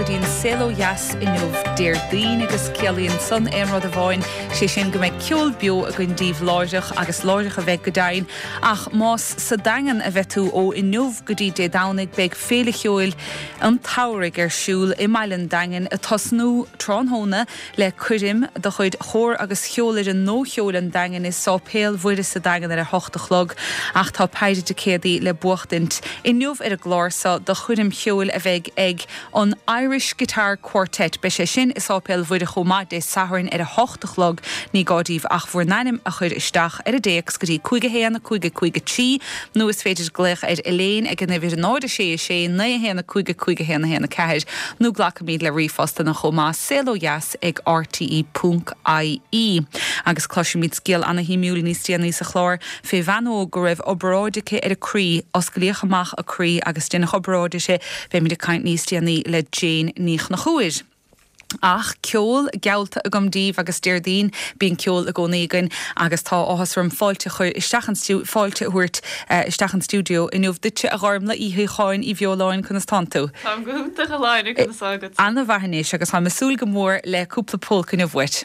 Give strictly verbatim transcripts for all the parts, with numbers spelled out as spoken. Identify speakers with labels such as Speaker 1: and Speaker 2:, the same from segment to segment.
Speaker 1: dtí an Saol Ó Dheas inniu Déardaoin agus ciallaíonn san aon rud amháin sé sin go mbeidh ceol beo againn daoibh láithreach agus láithreach a bheidh go deimhin ach más sa Daingean a bheidh tú ó inniu go dtí Dé Domhnaigh beidh Féile Cheoil an tSamhraidh ar siúl i mbaile an Daingin ag tosnú tráthnóna le coirm de chuid Chór agus Cheolfhoireann Nócheoil an Daingin i Sáipéal Mhuire sa Daingean ar a hocht a chlog ach tá péire ticéadaí le buachtaint inniu ar an gclár seo do choirm cheoil a bheidh ag an Irish Guitar Quartet beidh sé sin i Sáipéal Mhuire chomh maith Dé Sathairn ar a hocht a chlog ní gá daoibh ach bhur n-ainm a chur isteach ar an dtéacs go dtí cúig a haon cúig a cúig a trí nó is féidir glaoch ar Elaine ag an uimhir náid a sé a sé naoi a haon a cúig a cúig a haon a haon a ceathair nó glacaimid le ríomhphostanna chomh maith saol ó dheas ag RTE ponc IE. Agus cloisfimid scéal ana-shuimiúil níos déanaí sa chlár fé bhean óg go raibh obráid aici ar a croí, osclaíodh amach a croí agus deineadh obráid uirthi, beimid ag caint níos déanaí le Jane Ní Chonchúir. Ach ceol geallta agam daoibh agus Déardaoin bíonn ceol i gcónaí againn agus tá áthas orm fáilte a chur isteach an fáilte a thabhairt isteach an stiúideo inniu duitse a Ghormlaith Uí Shíocháin Uí Bheoláin conas tánn tú.
Speaker 2: Táim go hiontach a Shláine conas tá agat.
Speaker 1: An-mhaith anois agus táim ag súil go mór le cúpla polca inniu uait.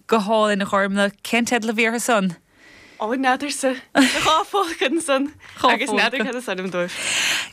Speaker 1: Go hálainn a Ghormlaith, cén teideal a bhí orthu san?
Speaker 2: Ó, n'fheadarsa. Dhá pholca ansan agus n'fheadar cad is ainm dóibh.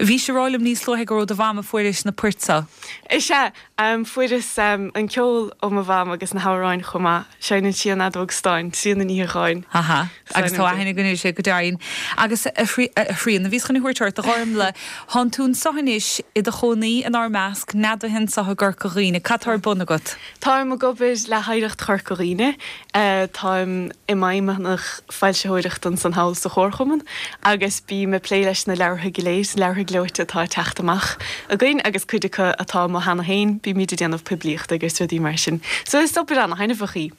Speaker 1: Bhís ag rá liom níos luaithe gur ó do mham a fuairis na poirt seo.
Speaker 2: Is ea, fuaireas an ceol ó mo mham agus na hamhráin chomh maith. Seinneann sí an fheadóg stáin, Tríona Ní Shíocháin.
Speaker 1: Aha, agus tá aithne againn uirthi go deimhin. Agus a Thríona, bhíos chun a thabhairt ort, a Ghormlaith, thánn tú anso anois i do chónaí inár measc, neadaithe anso i gCorca Dhuibhne. Cad tá ar bun agat?
Speaker 2: Táim ag obair le hOidhreacht Chorca Dhuibhne. Táim i m'fheidhmeannach foilsitheoireachta ansan thall sa Chomharchumann agus bím ag plé leis na leabhartha go léir, leabhartha gleoite atá ag teacht amach againn agus cuid acu atá amuigh cheana féin, bímid ag déanamh poiblíochta agus rudaí mar sin. So is obair ana-thaitneamhach í.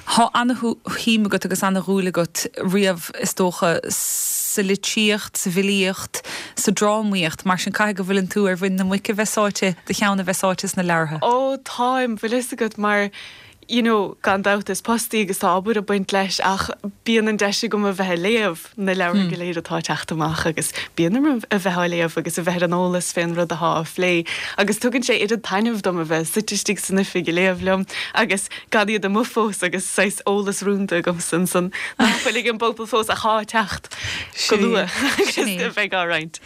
Speaker 1: Tá ana-shuim agat agus ana-dhúil agat riamh is dócha sa litríocht, sa bhfilíocht, sa drámaíocht, mar sin caithfidh go bhfuileann tú ar mhuin na muice bheith sáite, do cheann a bheith sáite sna leabhartha.
Speaker 2: Ó táim, bhfuil fhios agat, mar you know gan dabht is post é agus tá obair ag baint leis ach bíonn an deis agam a bheith ag léamh na leabhartha go léir atá ag teacht amach agus bíonn orm a bheith á léamh agus a bheith ar an eolas fén rud atá á phlé agus tugann sé oiread taitnimh dom a bheith suite istigh san oifig ag léamh liom agus gan iad amuigh fós agus saghas eolas rúnda agamsa ansan nach bhfuil ag an bpobal fós ach atá ag teacht go luath agus a bheidh á roinnt.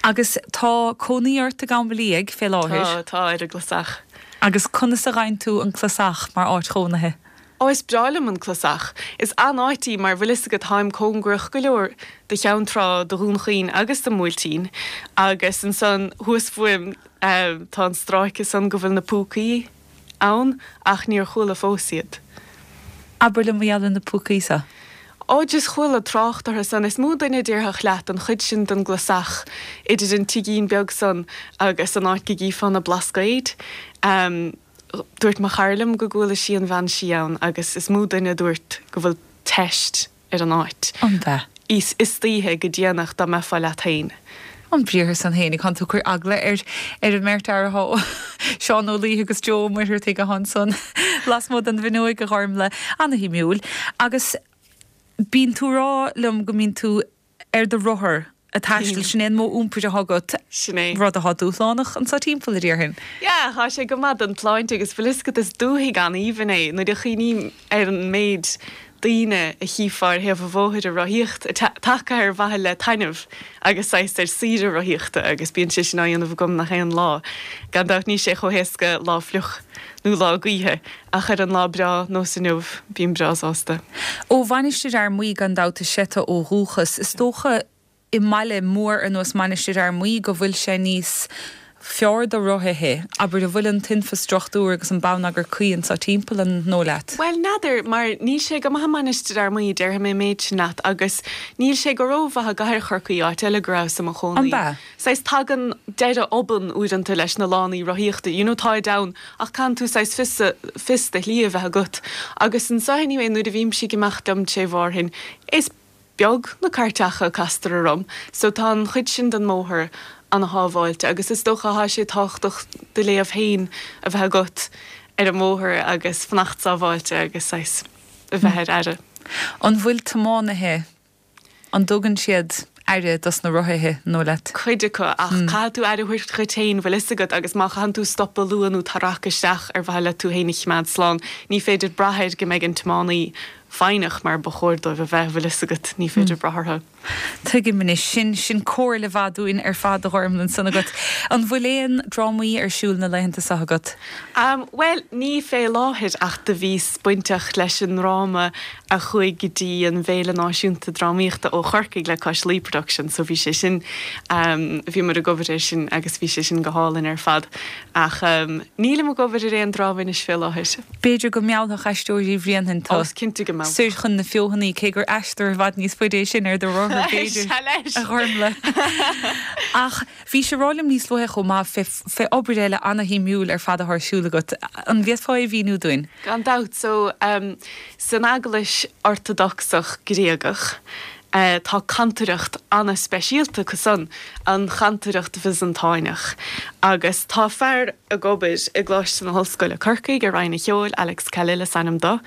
Speaker 1: Agus tá cónaí ort i gCam Liag fé láthair?
Speaker 2: Tá, tá, ar an gClasach.
Speaker 1: Agus conas a fhaigheann tú an Clasach mar áit chónaithe?
Speaker 2: Ó, is breá liom an Clasach. Is an-áit í mar bhfuil fhios agat táim cóngarach go leor do Cheann Trá, do Dhún Chaoin agus don mBuailtín agus ansan thuas fúm tá an stráice san go bhfuil na púcaí ann ach níor chuala fós iad.
Speaker 1: Abair liom mar gheall ar na púcaí seo.
Speaker 2: Ó just chuala trácht orthu san is mó duine déarfadh leat an chuid sin den gclasach idir an tigín beag san agus an áit go gcífeá na Blascaoid. Um, dúirt mo chara liom go gcuala sí an bhean sí ann agus is mó duine a dúirt go bhfuil teist ar an áit.
Speaker 1: An bea?
Speaker 2: Is istoíche go déanach dá mbeifeá leat féin.
Speaker 1: An briathar san fhéinig thánn tú ag cur eagla ar ar an mbeirt fhear atá Seán Ó Laoithe agus Joe Ó Muircheartaigh atá ansan lasmuigh den bhfuinneoig a Ghormfhlaith ana-shuimiúil. Agus bíonn tú ag rá liom go mbíonn tú ar do rothar ag taisteal, sin é an modh iompair atá agat,
Speaker 2: Sin é.
Speaker 1: rud atá dúshlánach anso timpeall a déarfainn.
Speaker 2: Yeah, tá sé go maith don tsláinte agus bhfuil fhios agat is dúthaigh an-aoibhinn é nuair a chuimhním ar an méid daoine a chífeá ar thaobh an bhóthair ag rothaíocht, tagtha ar mhaithe le taitneamh agus saghas ar saoire rothaíochta agus bíonn sé sin á dhéanamh agam nach aon lá. Gan dabht níl sé chomh héasca lá fliuch nó lá gaoithe ach ar an lá breá nós inniu bím breá sásta.
Speaker 1: Ó Mhainistir Fhear Maí gan dabht is ea tú ó dhúchas. Is dócha i mbaile mór ar nós Mainistir Fhear Maí go bhfuil sé níos fearr do rothaithe, abair an bhfuil an t-infreastruchtúr agus an bonneagar cuí anso timpeall an ndóigh leat?
Speaker 2: Bhuel, n'fheadar, mar níl sé go maith i Mainistir Fhear Maí, déarfaidh mé an méid sin leat, agus níl sé go rómhaith i gcathair Chorcaí, áit eile go rabhas i mo chónaí.
Speaker 1: An b'ea?
Speaker 2: Saghas tagann deireadh obann uaireanta leis na lánaí rothaíochta, you know, táid ann ach caitheann tú saghas fios, fios do shlí a bheith agat. Agus anso anyway nuair a bhímse ag imeacht liom tré Mhárthain, is beag na cairteacha a castar orm so tá an chuid sin den mbóthar ana shábháilte agus is dócha thá sé tábhachtach do léamh féin a bheith agat ar an mbóthar agus fanacht sábháilte agus saghas a bheith ar aire.
Speaker 1: An bhfuil tiománaithe, an dtugann siad aire dos na rothaithe, an dóigh leat?
Speaker 2: Cuid acu, ach caithfidh tú aire a thabhairt dhuit féin, bhfuil fhios agat, agus má chaitheann tú stopadh luath nó tarrac isteach ar mhaithe le tú féin a chimeád slán, ní féidir brath air go mbeidh an tiománaí foighneach mar ba chóir dóibh a bheith, bhfuil fhios agat, ní féidir brath orthu.
Speaker 1: Tuigim anois. Sin, sin comhairle mhaith dúinn ar fad a Ghormfhlaith ansan agat. An bhfuil aon drámaí ar siúl na laethanta seo agat?
Speaker 2: Um, bhuel, ní fé láthair ach do bhíos bainteach leis an ndráma a chuaigh go dtí an bhFéile Náisiúnta Drámaíochta ó Chorcaigh le Cois Laoi Productions, so bhí sé sin, um, bhíomar ag obair air sin agus bhí sé sin go hálainn ar fad. Ach um, nílim ag obair ar aon dráma anois fé láthair.
Speaker 1: B'fhéidir go meallfadh Aisteoirí Bhréanainn
Speaker 2: tú. Ó, is cinnte go meallfadh.
Speaker 1: Soir chun na Feothanaí, cé gur aistear i bhfad níos faide é sin ar do rothar, b'fhéidir,
Speaker 2: Sea leis.
Speaker 1: a Ghormfhlaith. Ach bhís ag rá liom níos luaithe chomh maith fé, fé obair eile ana-shuimiúil ar fad atá ar siúl agat. An bhféadfá é a mhíniú dúinn?
Speaker 2: Gan dabht. So, um, san Eaglais Ortadocsach Gréagach, Tá cantaireacht ana-speisialta acu san, an chantaireacht Bhiosantáineach. Agus tá fear ag obair i gColáiste na hOllscoile Corcaigh i Roinn an Cheoil, Alex Khalil is ainm dó,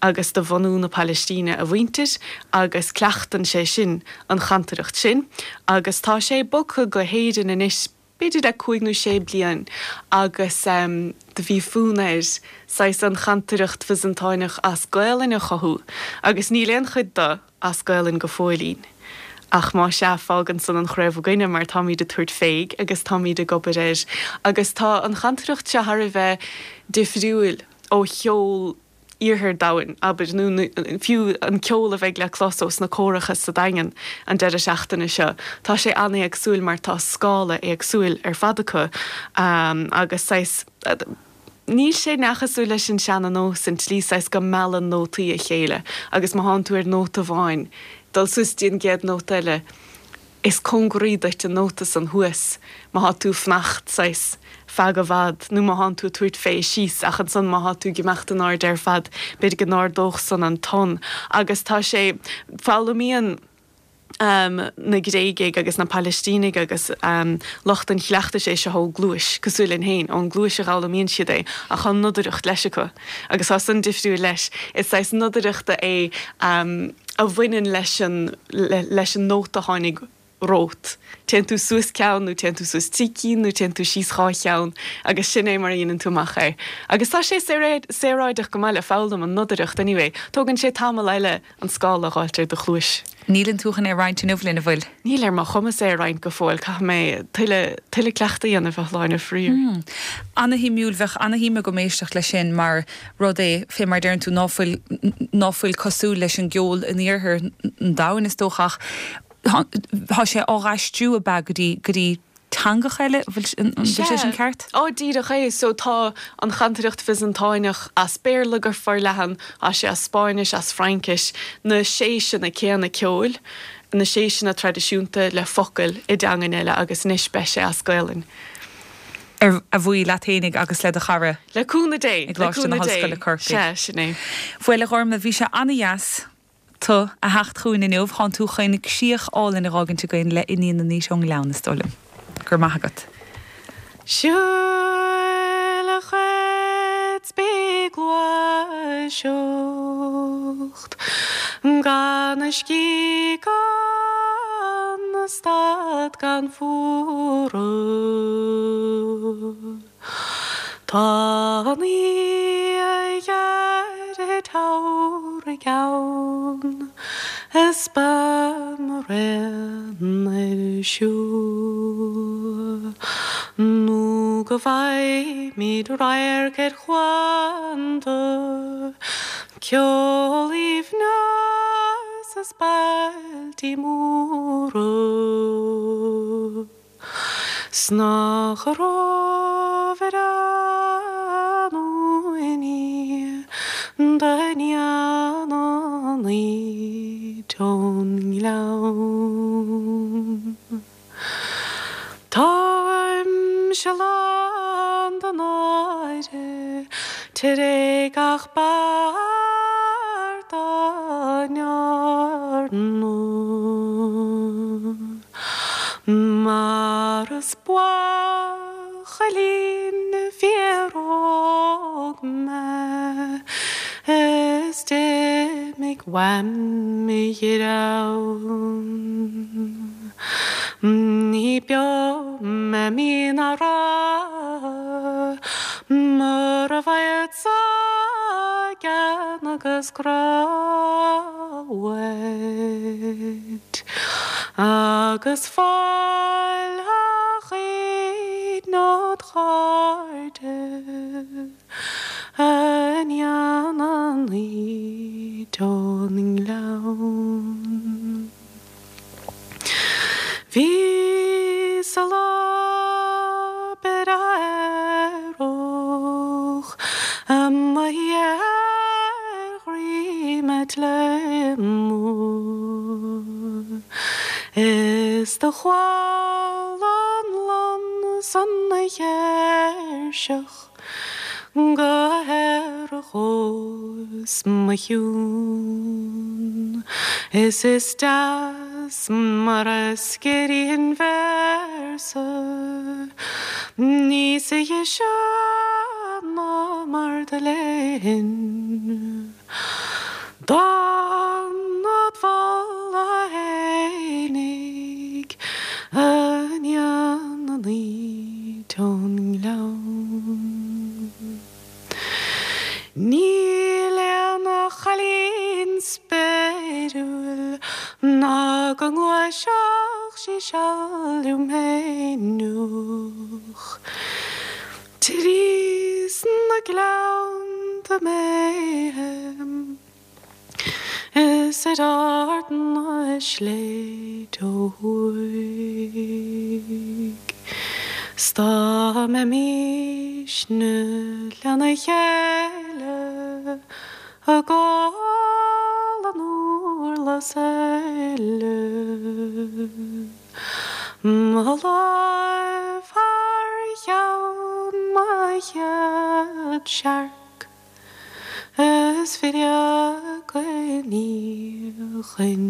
Speaker 2: agus de bhunú na Palaistíne a mhuintir agus cleachtann sé sin an chantaireacht sin agus tá sé bogtha go hÉirinn anois b'fhéidir le cúig nó sé bliain agus do bhí fonn air saghas an chantaireacht Bhiosantáineach as Gaelainn a chothú agus níl aon chuid de as Gaelainn go fóillín. Ach má sea, fágann san an chraobh againne mar táimid ag tabhairt fé agus táimid ag obair air agus tá an chantaireacht seo thar a bheith difriúil ó cheol iarthar domhain, abair, nó fiú an ceol a bheidh le clos ós na córacha sa Daingean an deireadh seachtaine seo, tá sé an-éagsúil mar tá scála éagsúil ar fad acu agus saghas, níl sé neamhchosúil leis an seana-nós, an tslí saghas go meallann nótaí a chéile agus má thánn tú ar nóta amháin, dul suas dtí an gcéad nóta eile. Is cóngaraí duit an nóta san thuas má thá tú fanacht saghas feadh i bhfad nó má thánn tú ag tabhairt fé síos ach ansan má thá tú ag imeacht in airde ar fad b'fhéidir go n-ardódh san an ton agus tá sé, foghlaimíonn na Gréigigh agus na Palaistínigh agus lucht an chleachtais é seo ó gcluais, cosúil linn féin, ón gcluais a dh'fhoghlaimíonn siad é ach tá nodaireacht leis acu agus tá san difriúil leis. Is saghas nodaireachta é a bhaineann leis an leis an nóta a tháinig romhat. Téann tú suas ceann nó téann tú suas trí cinn nó téann tú síos dhá cheann agus sin é mar a dhéanann tú amach é. Agus tá sé saoráideach go maith le foghlaim, an nodaireacht anyway. Tógann sé tamall eile an scála a dh'fháilt ar do chluais.
Speaker 1: Níleann tú chun é a roinnt inniu linn, an bhfuil?
Speaker 2: Níl ar mo chumas é a roinnt go fóill, caithfidh mé tuilleadh tuilleadh cleachtaidh a dhéanamh a Shláine, faraor.
Speaker 1: Ana-shuimiúil, bheadh ana-shuim agam éisteacht leis sin mar rud é, fé mar deireann tú, ná fuil ná fuil cosúil leis an gceol in iarthar an domhain is dócha ach tá sé á dh'aistriú ab ea go dtí go dtí teangacha eile an bhfuil sé sin ceart?
Speaker 2: Ó díreach é, so tá an chantaireacht Bhiosantáineach as Béarla go forleathan as sé as Spáinnis as Fraincis na séiseanna céanna ceoil, na séiseanna traidisiúnta le focail i dteangain eile agus anois beidh sé as Gaelainn.
Speaker 1: Ar a bhuí leat fhéinig agus le do chara.
Speaker 2: Le cúnamh Dé
Speaker 1: i gColáiste na hOllscoile Corcaigh.
Speaker 2: Sé sin é.
Speaker 1: Bhuel a Ghormfhlaith bhí sé an-deas tú a theacht chugainn inniu tánn tú chun críoch álainn a fhágaint againn le Iníon an Fhaoite ón nGleann is dóigh liom. Gur maith agat.
Speaker 2: Siúil a chuid bí gluaiseacht gan a scíth gan a stad gan fuaradh. Tá an oíche gheal ann is beidh mo rian ar siúl. Nó go bhfaighimid radharc ar chuanta ceol aoibhneas is bailtí móra. 'S nach raibh ar an uaine d'iníon an Fhaoite ón nGleann. Táimse lán de náire tar éis gach beart dá ndearnadh. Mar is buachaillín fíoróg mé is d'imigh uaim mo ghreann. Ní beo mé mí ná ráithe mura bhfaigheadsa gean agus grá uait. Agus fáil a chuid nó chairde a iníon an Fhaoite ón nGleann. Bhí sa lá aerach amuigh ar dhroim an tsléibhe mhóir. Is do chuala an lon san 'na ghéirseach go haerach os mo chionn. Is is deas mar a sciorrann véarsa níos deise ná mar do léinn. Dán id mholadh fhéinig a iníon an Fhaoite ón nGleann. Níl aon chailín spéiriúil ná go ngluaisfeadh sí seal liom fhéineach. Trí sna gleannta méithe is ar ard na sléibhte ó thuaidh. 'S dá mbeimisne lena chéile ag ól an órla eile. Mo láimh thar cheann mo chéad searc is fire go ndíochain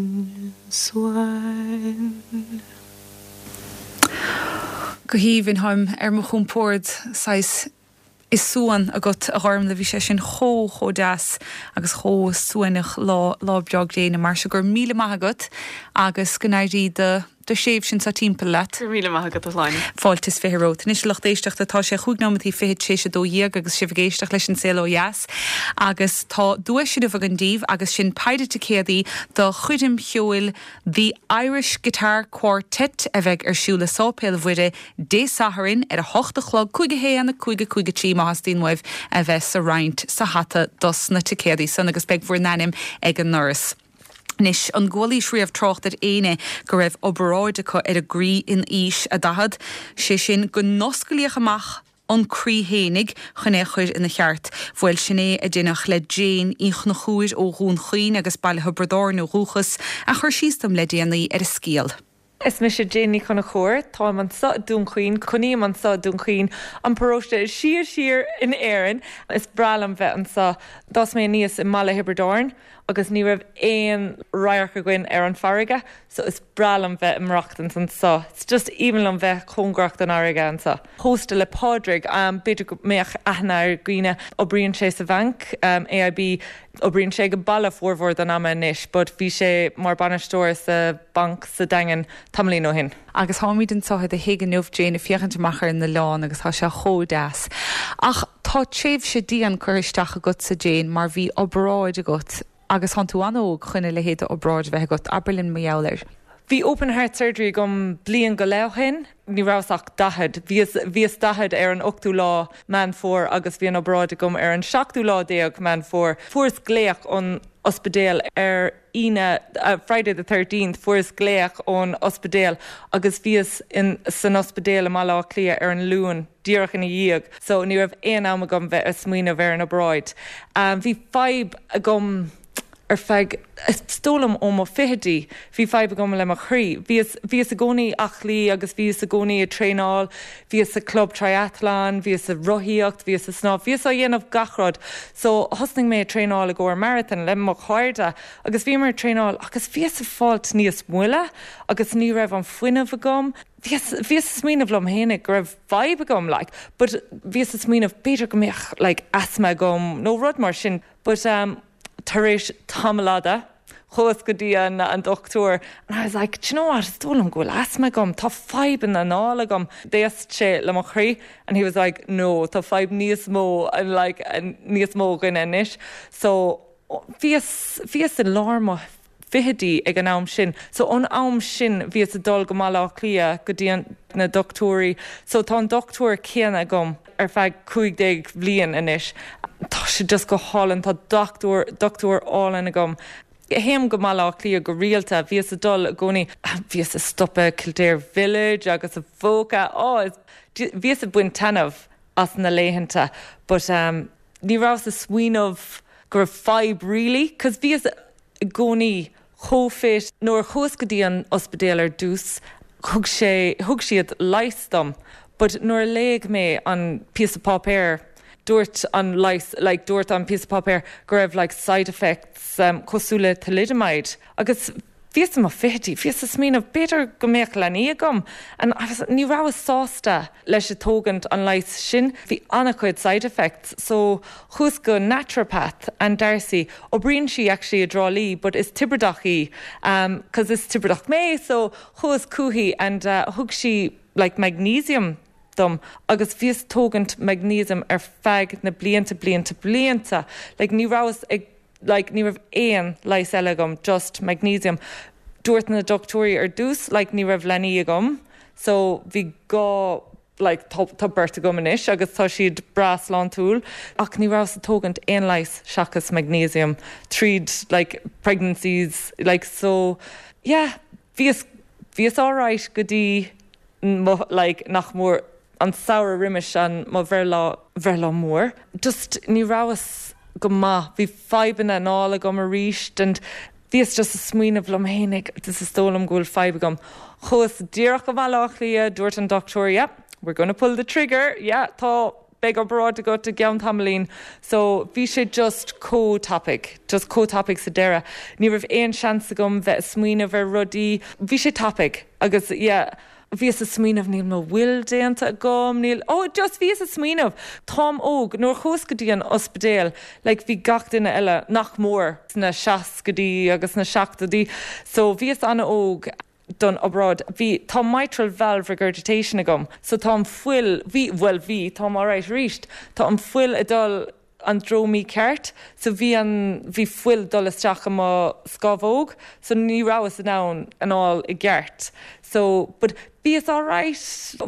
Speaker 2: suain.
Speaker 1: Go haoibhinn táim ar mo chompord saghas i suan agat a Ghormfhlaith bhí sé sin chomh chomh deas agus chomh suaimhneach lá lá breá gréine mar sin go raibh míle maith agat agus go n-éirí do do thréimhse anseo timpeall leat.
Speaker 2: Go raibh míle maith agat a Shláine.
Speaker 1: Fáilte is fiche romhat. Anois lucht éisteachta tá sé chúig nóiméad fiche tar éis a dó dhéag agus sibh ag éisteacht leis an saol ó dheas agus tá duais inniu againn daoibh agus sin péire ticéadaí do choirm cheoil The Irish Guitar Quartet a bheidh ar siúl i Sáipéal Mhuire Dé Sathairn ar a hocht a chlog cúig a haon a cúig a cúig a trí má theastaíonn uaibh a bheith sa roinnt sa hata dos na ticéadaí san agus beidh bhur n-ainm ag an ndoras. Anois an gcualaís riamh trácht ar éinne go raibh obráid acu ar a gcroí in aois a daichead, sé sin go n-osclaíodh amach an croí fhéinig chun é a chur ina cheart. Bhuel sin é a deineadh le Jane Uí Chonchúir ó Dhún Chaoin agus Baile Thiobraid Árann ó dhúchas a chur síos dom le déanaí ar a scéal.
Speaker 3: Is mise Jane Ní Chonchúir, táim anseo i nDún Chaoin, cónaím anseo i nDún Chaoin an paróiste is sia siar in Éirinn is breá liom bheith anseo. D'fhás mé aníos i mBaile Thiobraid Árann agus ní raibh aon radharc againn ar an farraige, so is breá liom bheith ag maireachtaint anseo. It's just aoibhinn liom bheith cóngarach don fharraige anseo. Pósta le Pádraig um, b'fhéidir go mbeadh aithne ar dhaoine oibríonn sé sa bhanc um, AIB oibríonn sé go baile formhór den ama anois, but bhí sé mar bainisteoir sa banc sa Daingean tamaillín ó shin.
Speaker 1: Agus táimid anseo i do thigh inniu Jane ag féachaint amach ar an oileán agus tá sé chomh deas. Ach tá tréimhse dian curtha isteach agatsa Jane mar bhí obráid agat agus tá tú an-óg chun a leithéid d'obráid bheith agat abair linn mar gheall air.
Speaker 3: Bhí open heart surgery agam bliain go leith ó shin, ní rabhas ach daichead, bhíos daichead ar an ochtú lá Meán Fómhair agus bhí an obráid agam ar an seachtú lá déag Meán Fómhair. Fuaireas glaoch ón ospidéal ar Aoine uh, Friday the thirteenth fuaireas glaoch ón ospidéal agus bhíos in san ospidéal i Mbaile Átha Cliath ar an Luan díreach ina dhiaidh, so ní raibh aon am agam bheith ag smaoineamh ar an obráid. Um, bhí fadhb agam ar feadh stóm ó mo fichidí, bhí fadhb agam le mo chroí. Bhíos bhíos i gcónaí aclaí agus bhíos i gcónaí ag traenáil, bhíos sa club triathlon, bhíos sa rothaíocht, bhíos sa snámh, bhíos á dhéanamh gach rud. So thosnaigh mé traenáil i gcomhair marathon le mo chairde agus bhí mar traenáil agus bhíos ag fáilt níos moille agus ní raibh an fuinneamh agam. Bhíos smaoineamh liom fhéinig go raibh fadhb agam like, but bhíos smaoineamh b'fhéidir go mbeadh like, asthma agam nó rud mar sin, but um, tar éis tamall fada chuas go dtí an an dochtúir and I was like you know what is dóigh liom go bhfuil asthma agam tá fadhb in anáil agam D'éist sé le mo chroí and he was like no tá fadhb níos mó and like níos mó againn anois so bhíos bhíos i lár mo fichidí ag an am sin. So ón am sin bhíos ag dul go Baile Átha Cliath go dtí na dochtúirí, so tá an dochtúir céanna agam ar feadh cúig déag bhliain anois. Tá sé just go hálainn tá dochtúir dochtúir álainn agam. Théim go Baile Átha Cliath go rialta, bhíos ag dul i gcónaí bhíos ag stopadh Kildare Village agus a bhóca á bhíos ag baint taitneamh as na laethanta, but um, ní rabhas ag smaoineamh go raibh fadhb really, cos bhíos i gcónaí chomh fit nuair chuas go dtí an ospidéal ar dtús, thug sé thug siad leigheas dom, but nuair a léigh mé an píosa páipéir dúirt an leigheas like, dúirt an píosa páipéir go raibh like, side effects um, cosúil le thalidomide agus bhíos i mo fichidí, bhíos ag smaoineamh b'fhéidir go mbeadh leanaí agam and ní rabhas sásta leis a tógaint an leigheas sin, bhí an-chuid side effects, so chuas go naturopath an Darcy, oibríonn sí actually i dTrá Lí, but is Tiobradach í um, cos is Tiobradach mé, so chuas chuici and uh, thug sí like magnesium dom agus bhíos tógaint magnesium ar feadh na blianta blianta blianta like ní rabhas ag like ní raibh aon leigheas eile agam just magnesium dúirt na dochtúirí ar dtús like ní raibh leanaí agam so bhí gá like tá tá beirt agam anois agus tá siad breá sláintiúil ach ní rabhas ag tógaint aon leigheas seachas magnesium tríd like pregnancies like so yeah bhíos bhíos alright go dtí mo like nach mór an samhradh roimis an mo bhreithlá bhreithlá mór just ní rabhas go maith bhí fadhbanna anála agam arís and bhíos just ag smaoineamh liom fhéinig this is dóigh liom go bhfuil fadhb agam. Chuas díreach go Baile Átha Cliath dúirt an dochtúir yeah, we're gonna pull the trigger yeah, tá beidh obráid agat i gceann tamaillín so bhí sé just chomh tapaidh just chomh tapaidh sa deireadh ní raibh aon seans agam bheith smaoineamh ar rudaí bhí sé tapaidh agus yeah, Bhíos ag smaoineamh níl mo will déanta agam níl ó just bhíos ag smaoineamh Táim óg nuair chuas go dtí an ospidéal like bhí gach duine eile nach mór sna seascaidí agus na seachtóidí so bhíos an-óg don obráid bhí tá mitral valve regurgitation agam so tá an fuil bhí well bhí tá alright arís tá an fuil ag dul an treo mícheart so bhí an bhí fuil dul isteach i mo scamhóg so ní rabhas in ann anáil i gceart so but bhíos alright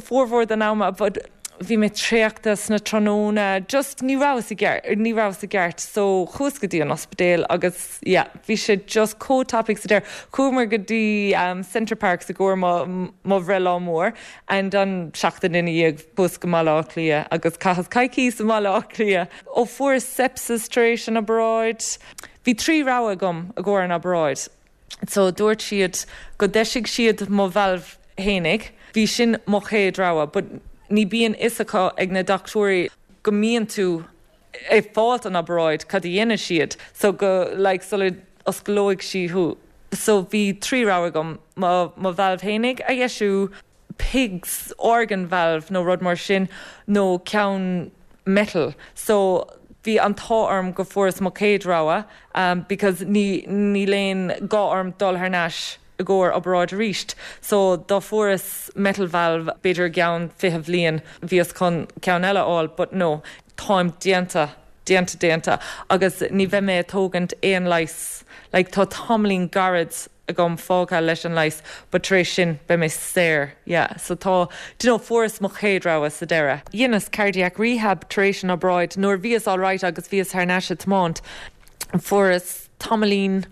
Speaker 3: formhór den ama but Bhí mé traochta sna tráthnóna, just ní rabhas i ní rabhas i gceart so chuas go dtí an ospidéal agus yeah, bhí sé just chomh tapaidh sa deireadh. Chuamar go dtí um, Center Parcs i gcomhair mo bhreithlá mór and an seachtain ina dhiaidh chuas go Baile Átha Cliath agus chaitheas coicís i mBaile Átha Cliath. Ó fuair sepsis tar éis an obráid. Bhí trí rogha agam i gcomhair an obráid. So dúirt siad go deisigh siad mo valve fhéinig, bhí sin mo chéad rogha, but ní bíonn fhios acu ag na dochtúirí go mbíonn tú ag fáilt an obráid cad a dhéanann siad so go like sula osclóidh siad thú. So bhí trí rogha agam mo mo valve fhéinig a dheisiú pig's organ valve nó rud mar sin nó ceann metal. So bhí an t-ádh orm go fuaireas mo chéad rogha um, because ní ní aon gá orm dul thar n-ais i gcomhair obráid arís. So dá fuaireas metal valve b'fhéidir ceann fiche bliain bhíos chun ceann eile fháil, but no, táim déanta déanta déanta agus ní bheidh mé ag tógaint aon leigheas, like tá tamaillín gairid agam fágtha leis an leigheas, but tar éis sin beidh mé saor, yeah. So tá do you know, fuaireas mo chéad rogha sa deireadh. Dheineas cardiac rehab tar éis an obráid nuair bhíos all right agus bhíos thar n-ais ag tiomáint. Fuaireas tamaillín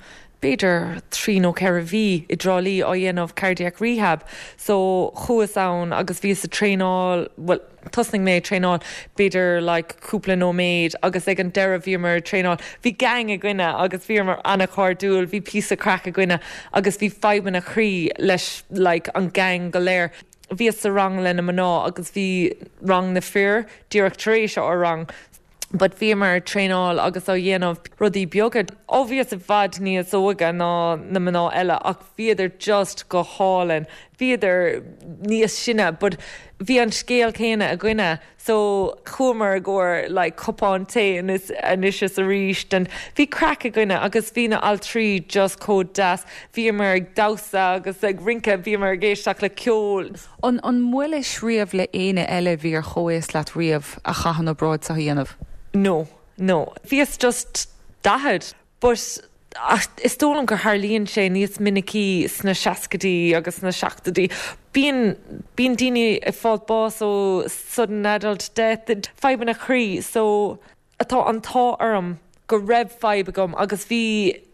Speaker 3: b'fhéidir trí nó ceithre mhí i dTrá Lí á dhéanamh cardiac rehab, so chuas ann agus bhíos ag traenáil well, tosnaigh mé traenáil b'fhéidir like cúpla nóiméad agus ag an deireadh bhíomar traenáil. Bhí gang againne agus bhíomar an-chairdiúil, bhí píosa craic againne agus bhí fadhbanna croí leis like, an gang go léir. Bhíos sa rang le na mná agus bhí rang na fir díreach tar éis ár rang. But bhíomar traenáil agus á dhéanamh rudaí beaga. Ó bhíos i bhfad níos óige ná na mná eile ach bhíodar just go hálainn. Bhíodar níos sine, but bhí an scéal céanna againne, so chuamar i gcomhair like, cupán tae anois is arís and bhí craic againne agus bhí na altraí just chomh deas. Bhíomar ag damhsa agus ag rince bhíomar ag éisteacht le ceol.
Speaker 1: An an mbuailis riamh le éinne eile bhí ar chomhaois leat riamh a chaith an obráid seo a dhéanamh?
Speaker 3: No, no. Bhíos just daichead, but is dóigh liom gur tharlaíonn sé níos minicí sna seascaidí agus sna seachtóidí. Bíonn bíonn daoine ag fáil bás ó sudden adult death, fadhbanna croí, so atá an t-ádh orm go raibh fadhb agam agus bhí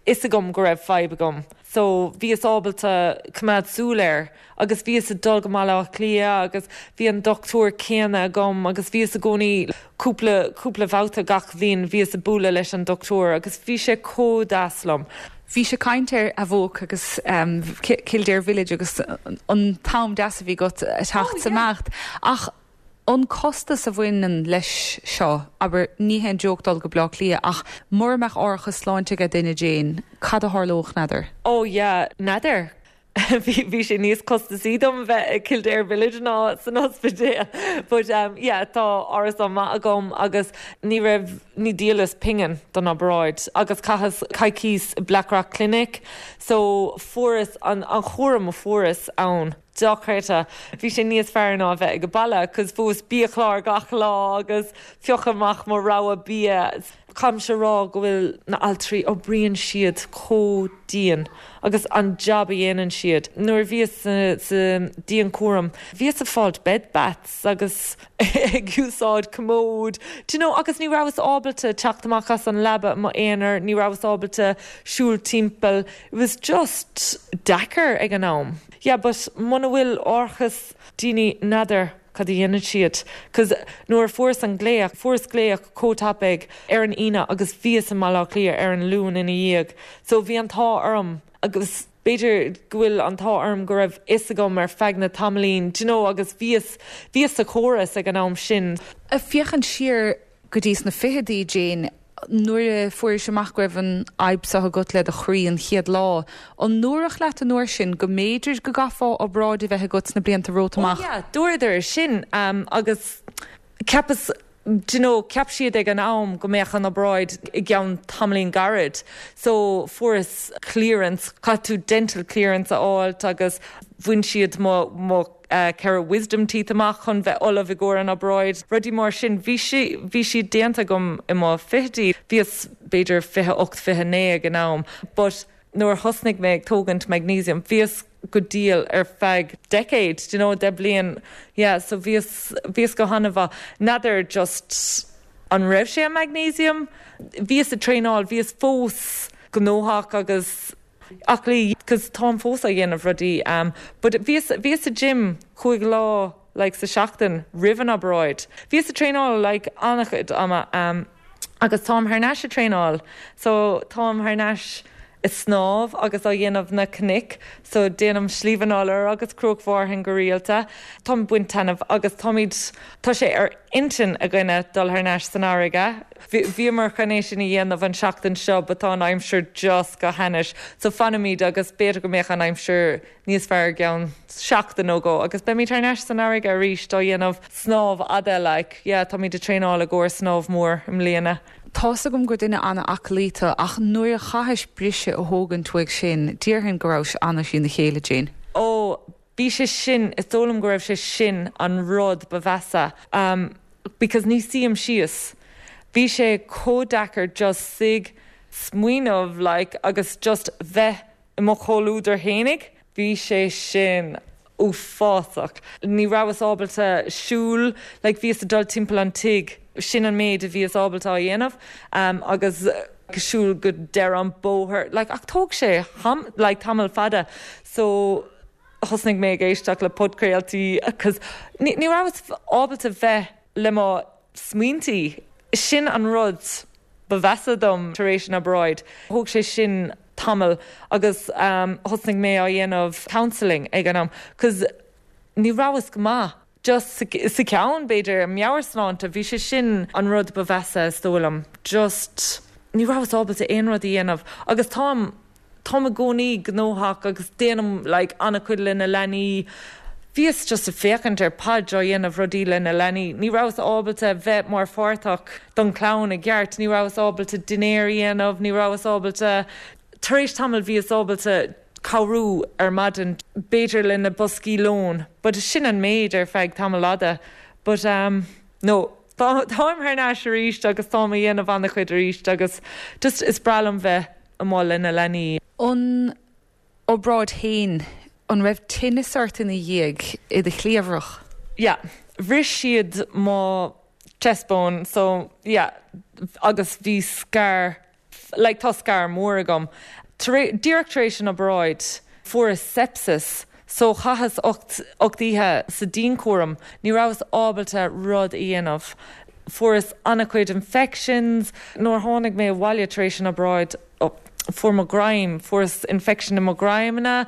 Speaker 3: fhios agam go raibh fadhb agam. So bhíos ábalta coimeád súil air agus bhíos ag dul go Baile Átha Cliath agus bhí an dochtúir céanna agam agus bhíos i gcónaí cúpla cúpla babhta gach bhliain bhíos ag bualadh leis an dochtúir agus bhí sé chomh deas liom.
Speaker 1: Bhí sé caint ar Avoke agus um, Kildare Village agus an t-am deas a bhí agat a teacht oh, amach ach an costas a bhaineann leis seo aber ní haon joke dul go Baile Átha Cliath ach mura mbeadh árachas sláinte ag duine Jane, cad a tharlódh n'fheadar?
Speaker 3: Oh yeah, n'fheadar. Bhí sé níos costasaí dom bheith i Kildare Village ná san ospidéal. But um, yeah, tá árachas maith agam agus ní raibh ní dhíolas pingin don obráid agus chaitheas coicís Blackrock Clinic, so fuaireas an, an cúram a fuaireas ann. Dochreidte bhí sé níos fearr ná bheith ag baile, cos fuaireas biachlár gach lá agus phiocadh amach mo rogha bia. Caithfimse rá go bhfuil na altraí oibríonn siad chomh dian agus an job a dhéanann siad. Nuair bhíos sa dianchúram, bhíos ag fáil bed baths agus ag úsáid commode. Do you know, agus ní rabhas ábalta teacht amach as an leaba m'aonar, ní rabhas ábalta siúl timpeall. It was just deacair ag an am. Yeah, but muna bhfuil árachas daoine n'fheadar cad a dhéanann siad, cos nuair fuaireas an glaoch fuaireas glaoch chomh tapaidh ar an Aoine agus bhíos i mBaile Átha Cliath ar an Luan ina dhiaidh. So bhí an t-ádh orm agus b'fhéidir go bhfuil an t-ádh orm go raibh fhios agam ar feadh na tamaillín, do you know, agus bhíos bhíos sa chóras ag an am sin.
Speaker 1: Ag féachaint siar go dtí sna fichidí Jane, nuair a fuairis amach go raibh an fhadhb seo agat le do chroí an chéad lá. An ndúradh leat an uair sin go mb'fhéidir go gcaithfeá obráid a bheith agat sna blianta romhat amach.
Speaker 3: Oh, yeah, dúradar sin um, agus cheapas do you know, cheap siad ag an am go mbeadh an obráid i gceann tamaillín gairid. So fuaireas clearance, caithfidh tú dental clearance a fháilt agus bhain siad mo mo uh, ceithre wisdom teeth amach chun bheith ullamh i gcomhair an obráid. Rudaí mar sin bhí sí bhí siad déanta agam i mo fichidí, bhíos b'fhéidir fiche ocht fiche naoi ag an am, but Nuair thosnaigh mé ag tógaint magnesium, bhíos go diail ar feadh decade, do you know, deich bliain yeah, so bhíos bhíos go han-mhaith. N'fheadar just an raibh sé an magnesium, bhíos ag traenáil, bhíos fós gnóthach agus aclaí cos táim fós á dhéanamh rudaí um, but bhíos bhíos sa gym cúig lá like sa seachtain roimh an obráid. Bhíos ag traenáil like an-chuid ama um, agus táim thar n-ais ag traenáil, so táim thar n-ais ag snámh agus á dhéanamh na cnoic, so déanaim Sliabh an Iolair agus Cnoc Mhárthain go rialta. Táim ag baint taitneamh agus táimid tá sé ar intinn againne dul thar n-ais san fharraige. Bhíomar chun é sin a dhéanamh an seachtain seo, but tá an aimsir just go hainnis, so fanfaimid agus b'fhéidir go mbeadh an aimsir níos fearr ceann seachtain nó dhó agus beimid thar n-ais san fharraige arís á dhéanamh snámh fhada like, yeah, táimid ag traenáil i gcomhair snámh mór i mbliana.
Speaker 1: Tá's agam gur duine an-aclaí tú ach nuair a chaithis briseadh a thógaint uaidh sin, déarfainn go raibh sé an-trína chéile Jane.
Speaker 3: Ó bhí sé sin is dóigh liom go raibh sé sin an rud ba mheasa um, because ní suím síos. Bhí sé chomh deacair just suí smaoineamh like, agus just bheith i mo chomhluadar fhéinig, bhí sé sin uafásach. Ní rabhas ábalta siúl, like, bhíos ag dul timpeall an tigh sin an méid a bhíos ábalta a dhéanamh um, agus siúl go deireadh an bóthar like, ach tóg sé ham, like, tamall fada so thosnaigh mé ag éisteacht le podchraoltaí agus ní ní rabhas ábalta bheith le mo smaointí sin an rud ba mheasa dom tar éis an obráid. Thóg sé sin tamall agus um, thosnaigh mé á dhéanamh counselling ag an am, cos ní rabhas go maith. Just sa ceann b'fhéidir meabhairshláinte bhí sé sin an rud ba mheasa is dóigh liom. Just ní rabhas ábalta aon rud a dhéanamh agus táim táim i gcónaí gnóthach agus déanaim like, an-chuid le na leanaí. Bhíos just ag féachaint ar iPad á dhéanamh rudaí le na leanaí. Ní rabhas ábalta bheith mar pháirteach don chlann i gceart, ní rabhas ábalta dinnéar a dhéanamh, ní rabhas ábalta tar éis tamall bhíos ábalta cabhrú ar maidin b'fhéidir le na boscaí lóin, but sin an méid ar feadh tamall fhada. But um, no, táim thar n-ais arís agus táim á dhéanamh an-chuid arís agus just is breá liom bheith amuigh le na leanaí.
Speaker 1: An obráid féin an raibh tinneas ort ina dhiaidh i do chliabhrach?
Speaker 3: Yeah, bhris siad mo chest bone, so yeah, agus bhí scar like tá scar mór agam. Díreach tar éis an obráid fuaireas sepsis, so chaitheas ocht oíche sa dianchúram, ní rabhas ábalta rud a dhéanamh. Fuaireas an-chuid infections, nuair tháinig mé abhaile tar éis an obráid fuair mo greim, fuaireas infection i mo ghreimna,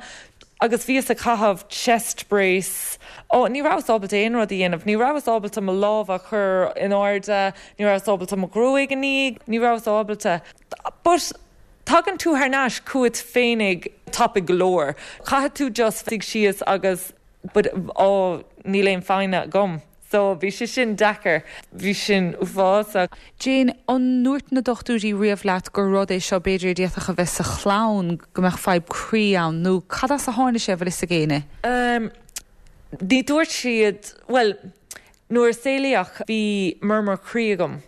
Speaker 3: agus bhíos ag caitheamh chest brace. Ó ní rabhas ábalta aon rud a dhéanamh, ní rabhas ábalta mo lámh a chur in airde, ní rabhas ábalta mo ghruaig a ní, ní rabhas ábalta. But tagann tú thar n-ais chugat féinig tapaidh go leor. Caithfidh tú just suí síos agus but ó níl aon foighne agam. So bhí sé sin deacair, bhí sin uafásach.
Speaker 1: Jane an ndúirt na dochtúirí riamh leat gur rud é seo b'fhéidir a d'fhéadfadh a bheith sa chlann go mbeadh fadhb croí ann nó cad as a tháinig sé bhfuil fhios ag éinne?
Speaker 3: Um, ní dúirt siad well, nuair a saolaíodh bhí murmur croí agam.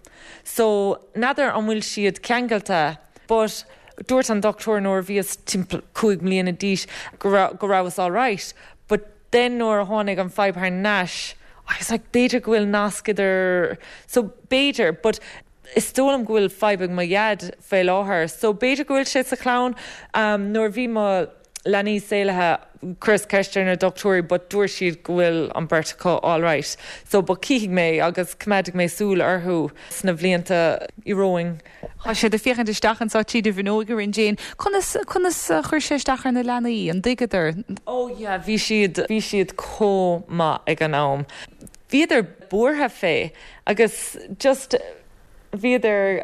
Speaker 3: So n'fheadar an bhfuil siad ceangailte, but dúirt an dochtúir nuair bhíos timpeall cúig mbliana d'aois go go rabhas all right, but then nuair a tháinig an fadhb thar n-ais, I was like b'fhéidir go bhfuil nasc idir so b'fhéidir, but is dóigh liom go bhfuil fadhb ag mo dhaid fé láthair, so b'fhéidir go bhfuil sé sa chlann um, nuair bhí mo leanaí saolaithe chuireas ceist ar na dochtúirí, but dúirt siad go bhfuil an bheirt acu all right. So but cífidh mé agus coimeádfaidh mé súil orthu sna blianta romhainn.
Speaker 1: Tá sé ag féachaint isteach anseo tríd an bhfuinneog orainn Jane. Conas conas chuir sé isteach ar na leanaí an dtuigeadar?
Speaker 3: Oh yeah, bhí siad bhí siad chomh maith ag an am. Bhíodar buartha fé agus just bhíodar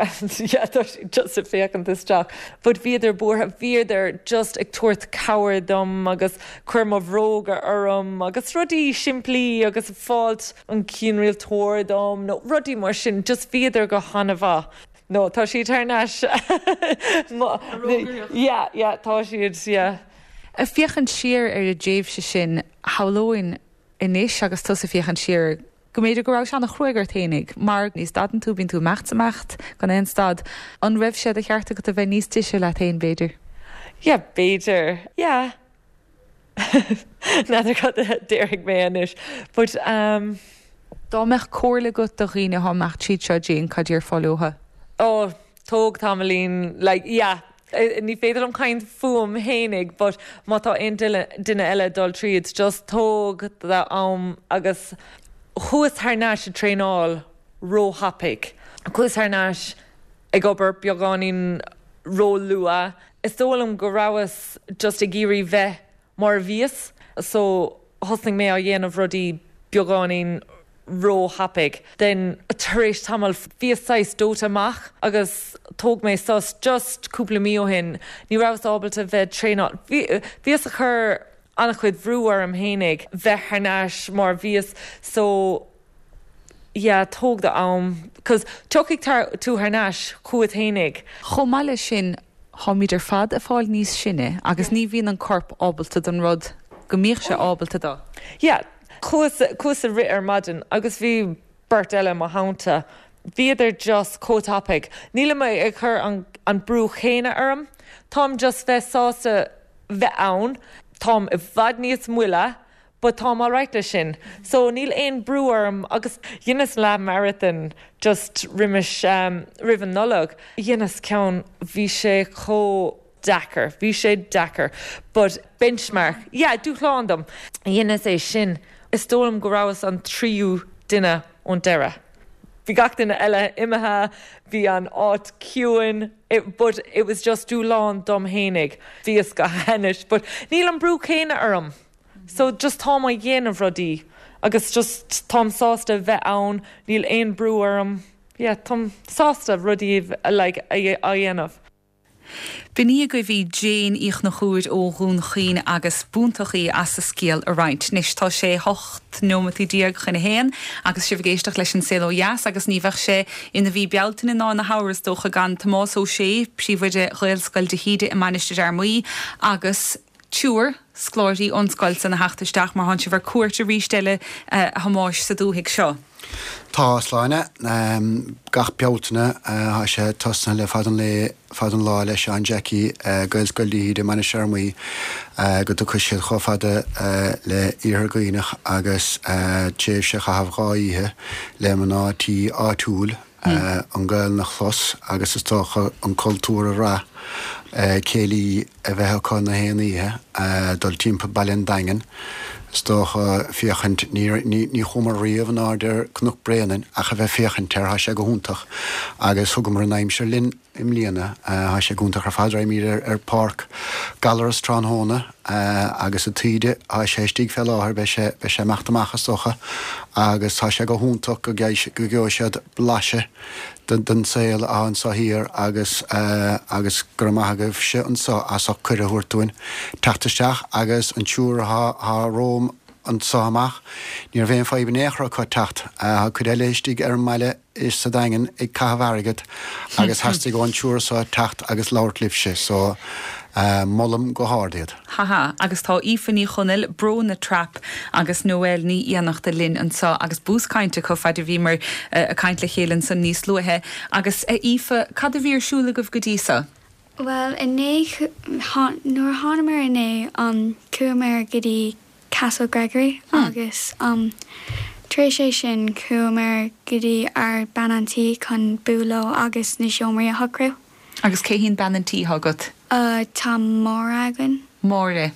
Speaker 3: just ag féachaint isteach, but bhíodar buartha bhíodar just ag tabhairt cabhair dom agus cur mo bhróga orm agus rudaí simplí agus fáilt an cianrialtóir dom nó rudaí mar sin just bhíodar go han-mhaith. No tá siad thar n-ais yeah, yeah, tá siad yeah.
Speaker 1: Ag féachaint siar ar an dtréimhse sin shamhlóinn anois agus tusa ag féachaint siar go mb'fhéidir go raibh sé an-chruaidh ort fhéinig, mar ní stadann tú bíonn tú ag imeacht is ag imeacht gan aon stad an raibh sé de cheart agat a bheith níos deise leat féin b'fhéidir.
Speaker 3: Yeah, b'fhéidir. Yeah. N'fheadar cad a déarfaidh mé anois. But um,
Speaker 1: Dá mbeadh comhairle agat do dhaoine atá ag imeacht tríd seo Jane cad a déarfá leo.
Speaker 3: Oh, tóg tamaillín like yeah. Eh, ní féidir liom caint fúm fhéinig, but má tá aon duine eile dul tríd, just tóg do am agus chuas thar n-ais ag traenáil róthapaidh. Chuas thar n-ais ag obair beagáinín róluath. Is dóigh liom go rabhas just ag iarraidh bheith mar a bhíos, so thosnaigh mé á dhéanamh rudaí beagáinín róthapaidh. Then tar éis tamall bhíos saghas dóite amach agus thóg mé sos just cúpla mí ó shin, ní rabhas ábalta bheith traenáil. Bhíos ag cur an-chuid brú orm fhéinig bheith thar n-ais mar bhíos so yeah, tóg do am, cos tiocfaidh tú thar n-ais chugat fhéinig.
Speaker 1: Chomh maith leis sin táimid ar fad ag fáil níos sine agus ní bhíonn an corp ábalta don rud go mbíodh sé ábalta dó.
Speaker 3: Yeah, chuas chuas ag rith ar maidin agus bhí beirt eile mo theannta. Bhíodar just chomh tapaidh. Nílim ag cur an, an brú chéanna orm. Táim just bheith sásta bheith ann, Táim i bhfad níos moille, but táim alright leis sin. So níl aon brú orm agus dheineas leath marathon just roimis um, roimh an Nollaig. Dheineas ceann bhí sé chomh deacair, bhí sé deacair, but benchmark, yeah, dúshlán dom. Dheineas é sin. Is dóigh liom go rabhas an tríú duine ón deireadh. Bhí gach duine eile imithe, bhí an áit ciúin, it, but it was just dúshlán dom fhéinig. Bhíos go hainnis, but níl an brú céanna orm. So just táim á dhéanamh rudaí agus just táim sásta bheith ann, níl aon brú orm. Yeah, táim sásta rudaí like, a dhéanamh.
Speaker 1: B'in í agaibh í Jane Uí Chonchúir ó Dhún Chaoin agus b'iontach í as a scéal a roinnt. Anois tá sé hocht nóiméad déag chun a haon agus sibh ag éisteacht leis an Saol Ó Dheas agus ní bheadh sé ina mhí Bealtaine ná ina shamhradh is dócha gan Tomás Ó Sé, príomhoide Ghaelscoil de hÍde i Mainistir Fhear Maí agus triúr scoláirí ón scoil san a theacht isteach mar tánn sibh ar cuairt arís eile a Thomáis sa dúthaigh seo.
Speaker 4: Tá sláine um, gach Bealtaine uh, sé tosnaithe le fad an lé fad an lá le Seán Jackie uh, Gaelscoil de hÍde Mainistir Fhear Maí uh, go dtiocfaidh siad chomh fada uh, le Iarthar Dhuibhneach agus uh, tréimhse a chaitheamh dhá oíche le mná tí áitiúil uh, an Ghaelainn a chlos agus is dócha an cultúr a rá uh, céilí a bheith acu na haon oíche uh, dul timpeall Baile an Daingin. Is dócha féachaint ní chuamar riamh in airde ar Cnoc Bréanainn ach a bheith féachaint air tá sé go hiontach agus thugamar an aimsir linn i mbliana tá sé go hiontach ar fad mír ar, ar Páirc Gallarus tráthnóna agus a taoide tá sé istigh fé láthair beidh sé beidh sé amach amach is dócha agus tá sé go hiontach go go gheobhaidh siad blaiseadh den, den saol anseo thiar agus uh, agus gur maith agaibhse anseo as ucht cuireadh a thabhairt dúinn teacht isteach agus an triúr atá romham anseo amach, Ní raibh aon fadhb in aon chor acu teacht uh, cuid eile istigh ar an mbaile is sa Daingean ag caitheamh airgid agus theastaigh ón triúr seo teacht agus labhairt libhse, so uh, molaim go hard iad.
Speaker 1: Haha, agus tá Aoife Ní Chonaill Bróna Trap agus Noel Ní Fhiannachta linn anseo agus bús cainte chomh fada a bhíomar uh, ag caint le chéile san níos luaithe agus uh, Aoife cad a bhí ar siúl agaibh go dtí seo.
Speaker 5: Well inné nuair a thángamar inné um, chuamar go dtí Castle Gregory hmm. agus um, tar éis é sin chuamar go dtí ár bean an tí chun bualadh agus na seomraí a shocrú.
Speaker 1: Agus cé hí bean an tí agat?
Speaker 5: Uh, tá Máire againn.
Speaker 1: Máire.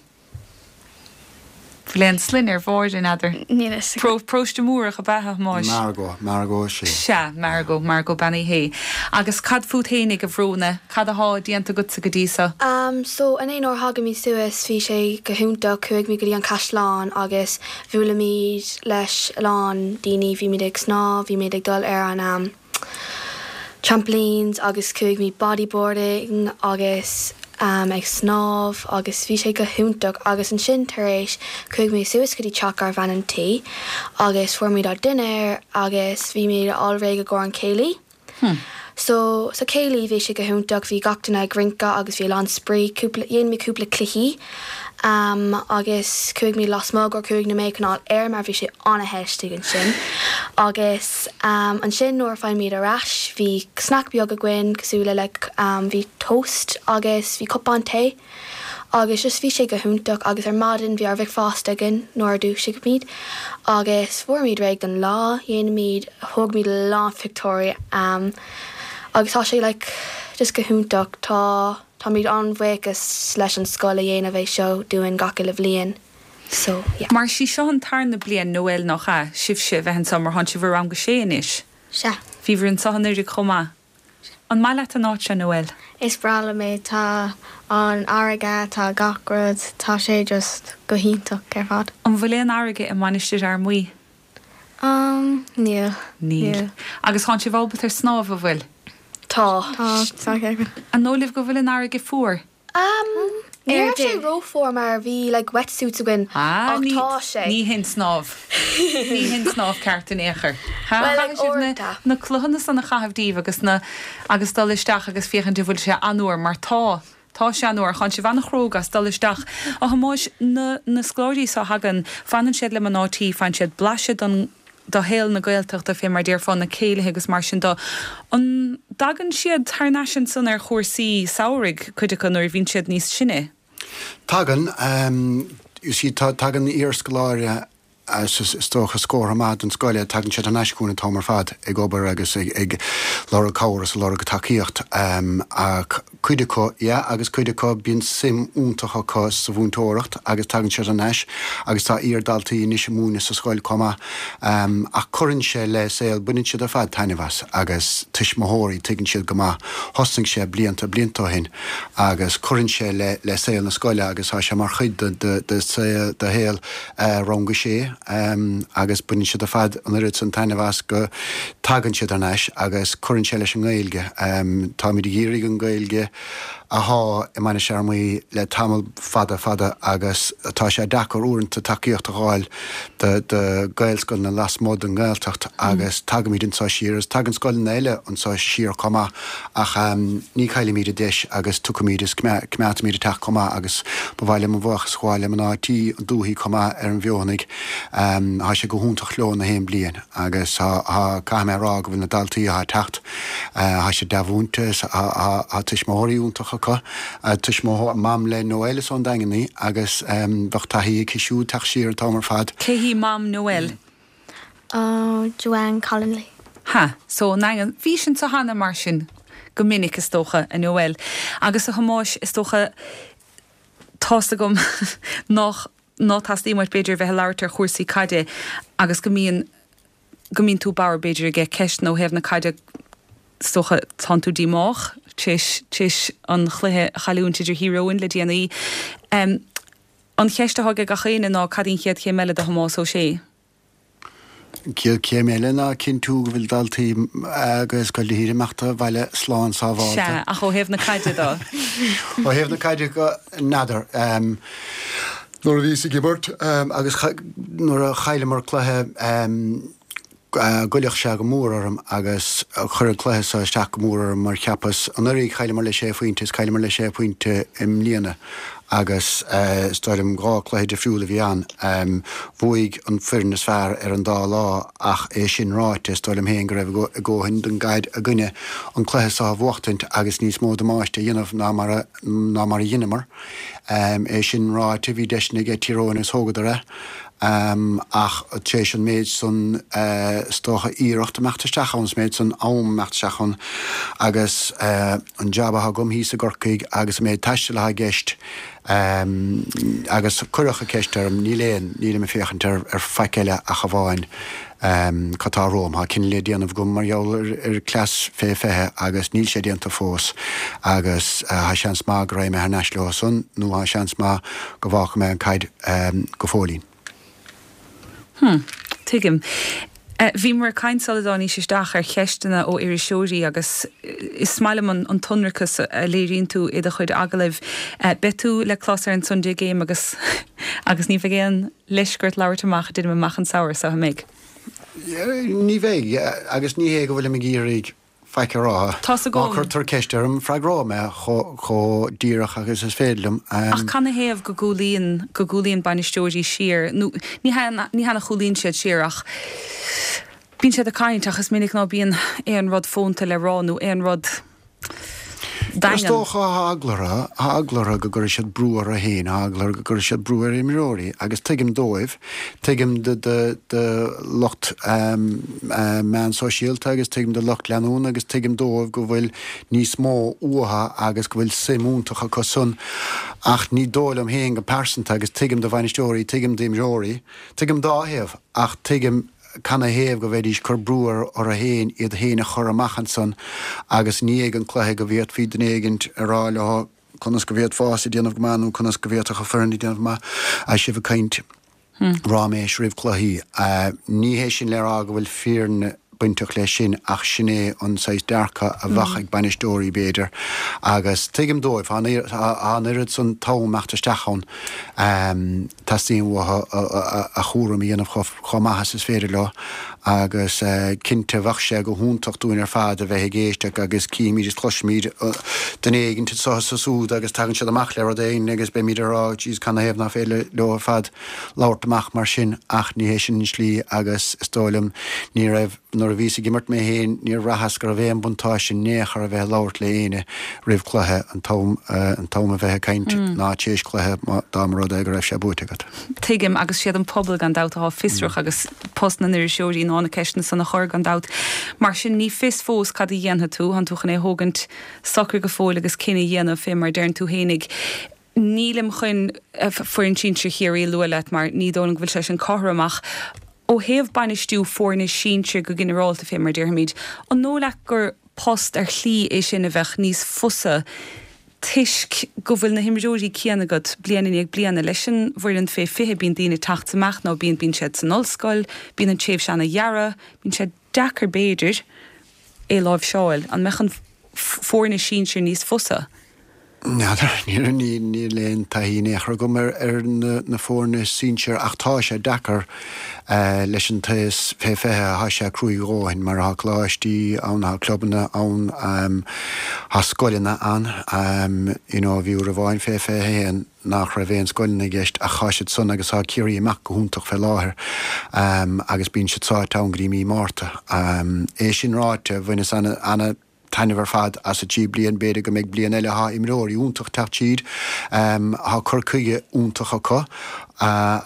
Speaker 1: Bhfuil aon sloinne ar Mháire n'fheadar.
Speaker 5: Níl
Speaker 1: Pro Próiste Múrach ab ea Thomáis.
Speaker 4: Margot, Margot sé.
Speaker 1: Sea, Margot, Margot Banny hé. Agus cad fút fhéinig a Bhróna, cad atá déanta agatsa go dtí seo?
Speaker 6: Um, so inné nuair a thágamar suas bhí sé go hiontach chuaigh muid go dtí an caisleán agus bhuailimid leis a lán daoine bhí muid ag snámh, bhí muid ag dul ar an um, trampolines agus chuaigh muid bodyboarding agus um, ag snámh agus bhí sé go hiontach agus ansin tar éis chuaigh muid suas go dtí teach ár bhean an tí agus fuair muid ár dinnéar agus bhí muid réidh i gcomhair an céilí.
Speaker 1: Hmm.
Speaker 6: So sa céilí bhí sé go hiontach bhí gach duine ag rince agus bhí lán spraoi dhein muid cúpla cluichí um, agus chuaigh muid lasmuigh gur cúig nóiméad chun aer mar bhí sé an-te istigh ansin. Agus um, ansin nuair a tháinig muid ar ais bhí snack beag againn cosúil le like, um, bhí toast agus bhí cupán tae. Agus just bhí sé go hiontach agus ar maidin bhí ár bhricfeasta againn nuair a dhúisigh agus fuair réidh don lá dhéanaimid thóg muid lán pictiúirí um, agus tá sé like, just go hiontach tá táimid an-bhuíoch leis an scoil a dhéanamh é seo dúinn gach uile bhliain. So yeah.
Speaker 1: Mar sí seo an tarna bliain Noel nach ea sibhse bheith anseo mar tánn sibh i rang a sé anois.
Speaker 5: Sea.
Speaker 1: Bhíobhair anseo anuraidh chomh maith. An maith leat an áit seo Noel?
Speaker 5: Is breá liom é tá an fharraige tá gach rud tá sé just go hiontach ar fad.
Speaker 1: An bhfuil aon fharraige i Mainistir Fhear Maí?
Speaker 5: Um, níl.
Speaker 1: Níl. Agus tánn sibh ábalta ar snámh an bhfuil?
Speaker 6: Tá.
Speaker 5: Tá tá
Speaker 1: An dóigh libh go bhfuil an fharraige fuar?
Speaker 6: Um, ní raibh sé rófhuar mar bhí like wetsuits againn
Speaker 1: Ah,
Speaker 6: ach
Speaker 1: ní
Speaker 6: tá sé.
Speaker 1: ní hin snámh. Ní hin snámh ceart in aon chor.
Speaker 6: Well, like,
Speaker 1: na,
Speaker 6: uaireanta.
Speaker 1: na cloghanna san a chaitheamh díobh agus na agus dul isteach agus féachaint an bhfuil sé an-fhuar mar tá Tá sé an-fhuar tánn sibh an-chróga as dul isteach a Thomáis na, na scoláirí seo a thagann fanann siad le mná tí faigheann siad blaiseadh don do shaol na Gaeltachta fé mar déarfá na céilithe agus mar sin de. An dtagann siad thar n-ais ansan ar chúrsaí samhraidh cuid acu nuair a bhíonn siad níos sine.
Speaker 4: Tagann um, you see, tá tagann iarscoláire is dócha scór amach den scoile tagann siad an chugainn an t-am ar fad ag obair agus ag, ag lorg cabhair is lorg tacaíocht um, ach cuid acu yeah, agus cuid acu bíonn suim iontach acu sa mhúinteoireacht agus tagann siad anois agus tá iardhaltaí anois ag múineadh sa scoil chomh maith um, ach cuireann sé le saol baineann siad ar fad taitneamh as agus tuismitheoirí tuigeann siad go maith thosnaigh sé blianta blianta ó shin agus cuireann sé le le saol na scoile agus tá sé mar chuid de, de, de, de, de shaol uh, rang a sé um, agus baineann siad ar fad an oiread san taitneamh as go tagann siad anois agus cuireann sé leis an nGaeilge. Um, Táimid ag iarraidh an Ghaeilge atá i Mainistir Fhear Maí le tamall fada fada agus tá sé deacair uaireanta tacaíocht a fháil de, de Gaelscoileanna lasmuigh den Ghaeltacht agus tagaimid anseo siar agus tagann scoileanna eile anseo siar chomh maith ach um, ní chaillimid an deis agus tugaimid is coimeádaimid isteach chomh maith agus ba mhaith liom buíochas a ghabháil le mná tí an dúthaigh chomh maith ar an bhFeothanaigh um, Tá sé go hiontach leo na haon bliain agus caithfidh mé rá go bhfuil na daltaí ag teacht Tá sé dea-mhúinte tá tuismitheoirí iontacha acu tuismitheoir mam le Noel is ón Daingean í agus um, bheadh taithí aici siúd teacht siar an t-am ar fad.
Speaker 1: Cé hí mam Noel?
Speaker 5: Oh, Joanne Collinley.
Speaker 1: Ha, so an bhí sin sa hana mar sin go minic is dócha a Noel. Agus a Thomáis is dócha tá a fhios agam nach ná teastaíonn uait b'fhéidir bheith labhairt ar chúrsaí caide agus go mbíonn go mbíonn tú bodhar b'fhéidir aige ceist ó thaobh na caide is dócha tánn tú díomách tar éis an chluiche a chailliúint idir Thír Eoghain le déanaí. Um, an cheist atá ag gach éinne ná cad í an chéad chéim eile do Thomás Ó Sé.
Speaker 4: Céad céim eile ná cinntiú go bhfuil daltaí agus go léir amach abhaile slán sábháilte.
Speaker 1: Se ach ó thaobh na caide de.
Speaker 4: Ó thaobh na caide de n'fheadar. Um, Nuair a bhíos ag imirt um, agus nuair a chailleamar cluiche um, ghoillfeadh sé go mór orm agus chuir an cluiche seo isteach go mór orm mar cheapas anuraidh chailleamar le sé phointe is chailleamar le sé phointe i mbliana agus uh, is dóigh liom dhá chluiche difriúil a bhí ann um, bhuaigh an foireann is fearr ar an dá lá ach é sin ráite is dóigh liom féin go raibh a ndóthain den gcaid againne an cluiche seo a bhuachtaint agus níos mó damáiste a dhéanamh ná mar a, ná mar a dheineamar. Um, é sin ráite bhí deiseanna ag Tír Eoghain is thógadar é. Um, ach tar éis an méid san uh, is dócha iarracht amach isteach ann méid san am amach isteach ann agus uh, an jab atá agam thíos i gCorcaigh agus an méid taistil atá i gceist um, agus cuireadh an cheist orm níl aon níl mé féachaint ar, ar faic eile ach amháin um, cad tá romham Tá cinneadh le déanamh agam mar gheall ar, ar cleas fé fiche agus níl sé déanta fós agus uh, tá seans maith go mbeidh mé thar n-ais leo san nó tá seans maith go bhfágfaidh mé an caid um, go fóillín.
Speaker 1: Hmm, tuigim. Uh, Bhí mar caint sula dtáinig isteach ar cheisteanna ó iriseoirí agus is maith liom an, an t-ionracas a léiríonn tú i do chuid agallaimh. Uh, Beidh tú le clos ar an Sunday Game agus agus ní bheidh aon leisce ort labhairt amach dúinn amach an samhradh seo méid.
Speaker 4: Ní bheidh agus ní hé go bhfuil ag iarraidh faic a rá.
Speaker 1: Tá a
Speaker 4: Má chuirtear ceist orm freagróidh mé chomh díreach agus is féidir liom.
Speaker 1: Ach canathaobh go gcúlaíonn go gcúlaíonn bainisteoirí siar nó ní ní hea chúlaíonn siad siar ach bíonn siad ag caint ach is minic ná bíonn aon rud fónta le rá nó aon rud Daingean.
Speaker 4: Is dócha tá eagla orthu, tá eagla orthu go gcuirfidh siad brú orthu féin, tá eagla orthu go gcuirfidh siad brú ar imreoirí agus tuigim dóibh, tuigim do do lucht meán sóisialta agus tuigim do lucht leanúna agus tuigim dóibh go bhfuil níos mó uathu agus go bhfuil suim iontach acu san ach ní dóigh liom féin go pearsanta agus tuigim do bhainisteoirí, tuigim d'imreoirí, tuigim dá thaobh ach tuigim canathaobh go bhféadfaidís cur brú orthu féin iad féin a chur amach ansan agus i ndiaidh an chluiche go bhféadfaí duine éigint a rá leo conas go bhféadfása déanamh go maith nó conas go bhféadfadh an foireann déanamh go maith agus sibh ag caint ráiméis roimh cluichí. Ní hé sin le rá go bhfuil fírinne bainteach leis sin ach sin é an saghas dearcadh a bheadh ag bainisteoirí b'fhéidir agus tuigim dóibh, tá an oiread san t-am imeacht isteach ann, teastaíonn uathu a chúram a dhéanamh chomh maith is is féidir leo agus cinnte bheadh sé go hiontach dúinn ar fad a bheith ag éisteacht agus cífimid is cloisfimid duine éigin anseo is ansúd agus tagann siad amach le rud éigin agus beimid ag rá jeez canathaobh nach féidir leo ar fad labhairt amach mar sin ach ní hé sin an slí agus is dóigh liom ní raibh Nuair a bhíos ag imirt mé féin níor bhraitheas go raibh aon buntáiste in aon chor a bheith ag labhairt le éinne roimh cluiche, an t-am an t-am a bheith ag caint ná tar éis cluiche dá mba rud é go raibh sé buaite agat.
Speaker 1: Tuigim, agus siad an pobal gan dabht atá fiosrach agus post na n-iriseoirí ná na ceisteanna san a chur gan dabht. Mar sin ní fios fós cad a dhéanfaidh tú, tánn tú chun é a thógaint socair go fóill agus cinneadh a dhéanamh fé mar a deireann tú fhéinig. Nílim chun foireann sinsir Chiarraí a lua leat mar ní dóigh liom go bhfuil sé sin cothrom ach ó thaobh bainistiú foirne sinsir go ginearálta fé mar a déarfaimid, an dóigh leat gur post ar shlí é sin a bheadh níos fusa toisc go bhfuil na himreoirí céanna agat bliain i ndiaidh bliana? Leis an bhfoireann fé fiche bíonn daoine ag teacht is imeacht nó bíonn bíonn siad san ollscoil, bíonn an tréimhse ana-ghearr, bíonn sé deacair b'fhéidir é a láimhseáil. An mbeadh an foirne sinsir níos fusa?
Speaker 4: N'fheadar, níl aon taithí in aon chor agam ar na foirne sinsir ach tá sé deacair leis an taos fé fiche, tá sé cruaidh a dhóthain mar tá coláistí ann, tá clubanna ann, tá scoileanna ann, you know bhí uair amháin fé fiche a haon nach raibh aon scoileanna i gceist ach tá siad san agus tá Ciarraí ag imeacht go hiontach fé láthair agus bíonn siad sáite ann go dtí mí Márta. É sin ráite, bhaineas ana taitneamh ar fad as an trí bliain, b'fhéidir go mbeidh bliain eile, tá imreoirí iontach teacht tríd, tá cur chuige iontach acu,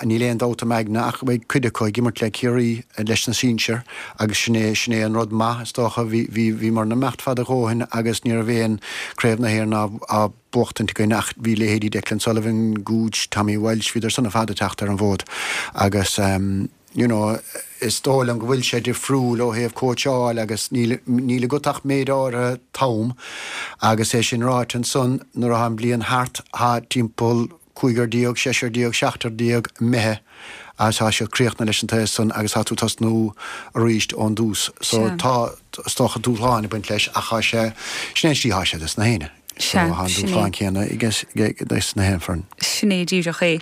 Speaker 4: níl aon dabht im aigne ach go mbeidh cuid acu ag imirt le Ciarraí leis na sinsir agus sin é, sin é an rud maith is dócha, bhí, bhí, bhíomar ag imeacht fada a dhóthain agus ní raibh aon Craobh na hÉireann á, á buachtaint againn ach bhí leithéidí Declan Sullivan, Gooch, Tommy Walsh, bhíodar san ar fad ag teacht ar an bhfód agus. you know, is dóigh liom go bhfuil sé difriúil ó thaobh cóitseáil agus níl, níl agat ach méid áirithe t-am agus é sin ráite ansan nuair atá an bliain thart tá timpeall cúigear déag, seisear déag, seachtar déag imithe agus tá siad críochnaithe leis an taos san agus tá tú tosnú arís ón dtús. So tá, is dócha dúshláin ag baint leis ach tá sé, sin é an slí atá sé dos na héinne. So tá an dúshlán céanna i gceist dos na haon foireann.
Speaker 1: Sin é díreach é.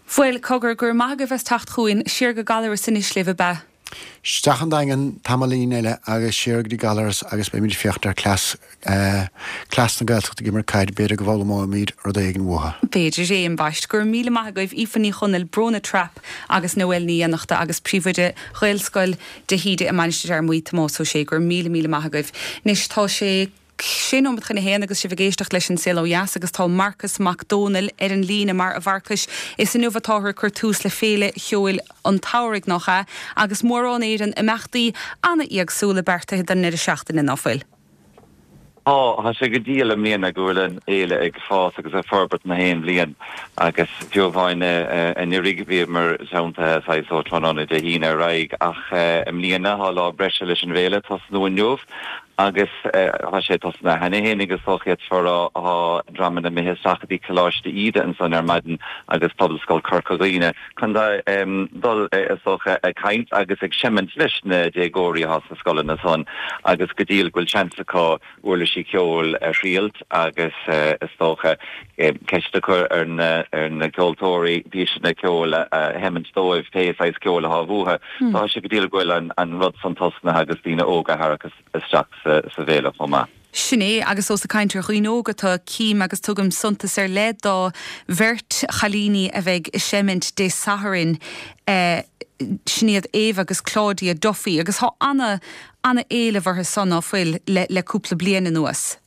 Speaker 1: Bhuel, cogar, go raibh maith agaibh as teacht chugainn. Siar go Gallaras anois libh, ab ea?
Speaker 4: Isteach an Daingean tamaillín eile agus siar go dtí Gallaras agus beimid ag féachaint ar cleas, cleas na Gaeltachta ag imirt caid, b'fhéidir go bhfoghlaimeoimid rud éigin uathu.
Speaker 1: B'fhéidir é, ambaist. Go raibh míle maith agaibh, Aoife Ní Chonaill, Bróna Trapp agus Noelle Ní Fhiannachta agus Príomhoide Ghaelscoil de hÍde i Mainistir Fhear Maí, Tomás Ó Sé. Go raibh míle míle maith agaibh. Anois tá sé. Sé nóiméad chun a haon agus sibh ag éisteacht leis An Saol Ó Dheas agus tá Marcas Mac Dónaill ar an líne mar a Mharcais is inniu atáthar ag cur tús le Féile Cheoil an tSamhraidh, nach ea? Agus mórán Éireann imeachtaí an-éagsúla beartaithe don ndeireadh seachtaine, ná fuil?
Speaker 7: Tá, tá sé go diail i mbliana go bhfuil an fhéile ag fás agus ag forbairt na haon bhliain agus fiú amháin anuraidh bhíomar teanntaithe saghas ó tráthnóna Dé hAoine ar aghaidh ach i mbliana tá lá breise leis an bhféile, tosnú inniu Agus tá sé tosnaithe cheana féin agus is dócha d'fhéadfá a rá tá dreamanna imithe isteach go dtí Coláiste Íde ansan ar maidin agus Pobalscoil Corca Dhuibhne chun dul is dócha ag caint agus ag seimint leis na déagóirí atá sna scoileanna san agus go diail go bhfuil seans acu uirlisí ceoil a thriailt agus is dócha ceist a chur ar na ar na ceoltóirí píosanna ceoil a sheimint dóibh pé saghas ceoil atá uathu. Tá sé go diail go bhfuil an rud san tosnaithe agus daoine óga a tharrac isteach sa bhféile chomh maith.
Speaker 1: Sin é, agus ós ag caint ar dhaoine óga atá, cím agus tugaim suntas ar leith do bheirt chailíní a bheidh ag seimint Dé Sathairn, sin iad Ava agus Claudia Duffy, agus tá ana, ana-éileamh orthu san, ná fuil, le, le cúpla bliain anuas.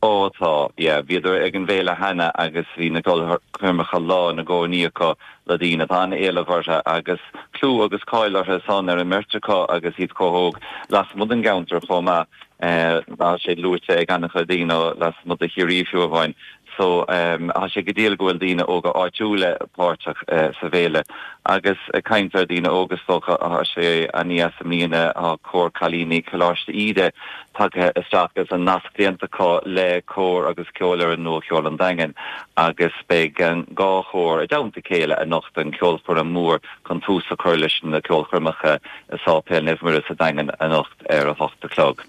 Speaker 7: Ó tá, yeah, bhíodar ag an bhféile cheana agus bhí na ceolchoirmeacha lán i gcónaí acu le daoine. Tá an-éileamh orthu agus clú agus cáil orthu san ar an mbeirt acu agus iad chomh hóg lasmuigh den gceantar chomh maith. Tá sé luaite ag an-chuid daoine lasmuigh de Chiarraí fiú amháin. So tá sé go diail go bhfuil daoine óga áitiúla páirteach sa bhféile. Agus ag caint ar daoine óga is dócha tá sé an-deas i mbliana tá cór cailíní Coláiste Íde tagtha isteach agus an nasc déanta acu le cór agus ceolfhoireann nua Cheoil an Daingin agus beidh an dhá chór i dteannta a chéile anocht don cheolchoirm mór chun tús a chur leis na ceolchoirmeacha i Sáipéal Naomh Muire sa Daingean anocht ar a hocht a chlog.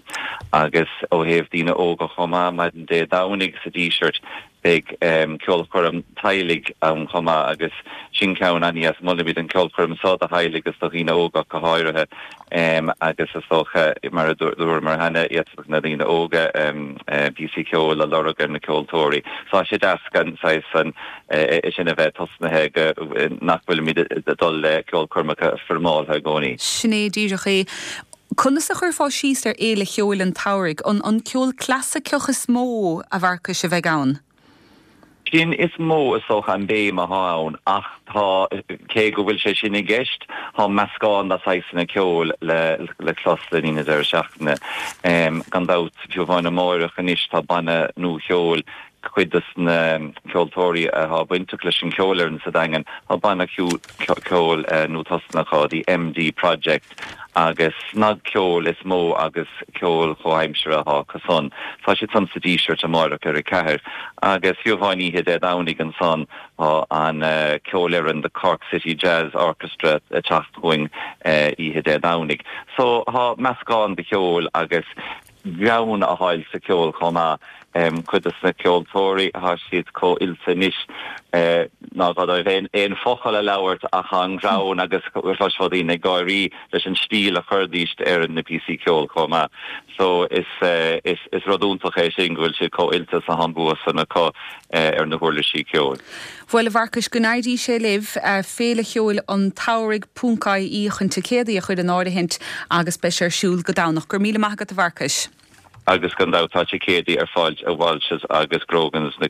Speaker 7: Agus ó thaobh daoine óga chomh maith, maidin Dé Domhnaigh sa Díseart beidh ceolchoirm teaghlaigh ann chomh maith agus sin ceann an-deas. Molaimid an ceolchoirm seo do theaghlaigh agus do dhaoine óga go háirithe agus is dócha, mar a dúramar cheana, d'fhéadfadh na daoine óga píosaí ceoil a lorg ar na ceoltóirí. So tá sé deas an saghas an sin a bheith tosnaithe go nach bhfuilimid ag dul le ceolchoirmeacha foirmeálta i gcónaí.
Speaker 1: Sin é díreach é. Conas a chuirfeá síos ar Fhéile Cheoil an tSamhraidh? An an ceol clasaiceach is mó, a Mharcais, a bheidh ann?
Speaker 7: Sin is mó is dócha an béim atá ann ach tá, cé go bhfuil sé sin i gceist, tá meascán de shaghsanna ceoil le le clos le linn na deireadh seachtaine. Gan dabht, fiú amháin amáireach anois tá banna nua-cheoil, cuid de na ceoltóirí atá bainteach leis an cheolfhoireann sa Daingean, tá banna ceoil nua-tosnaithe acu, The MD Project, agus snagcheol is mó agus ceol chomhaimseartha atá acu san. Tá siad san sa Díseart amáireach ar a ceathair agus fiú amháin oíche Dé Domhnaigh ansan tá an ceolfhoireann The Cork City Jazz Orchestra ag teacht chugainn oíche Dé Domhnaigh. So tá meascán de cheol agus greann a fháil sa cheol chomh maith. Cuid de na ceoltóirí, tá siad chomh oilte anois nach gá dóibh aon focal a labhairt ach an greann agus chloisfeá daoine ag gáirí leis an stíl a chuiridís ar na píosaí ceoil chomh maith. So is is rud iontach é sin go bhfuil siad chomh oilte is atá an bua san acu ar na huirlisí ceoil.
Speaker 1: Bhuel, a Mharcais, go n-éirí sé libh, Féile Cheoil an tSamhraidh ponc IE chun ticéadaí a chur in áirithint agus beidh sé ar siúl go Domhnach. Go raibh míle maith agat, a Mharcais.
Speaker 7: Agus gan dabht tá ticéadaí ar fáil i Walsh's agus Grogan's na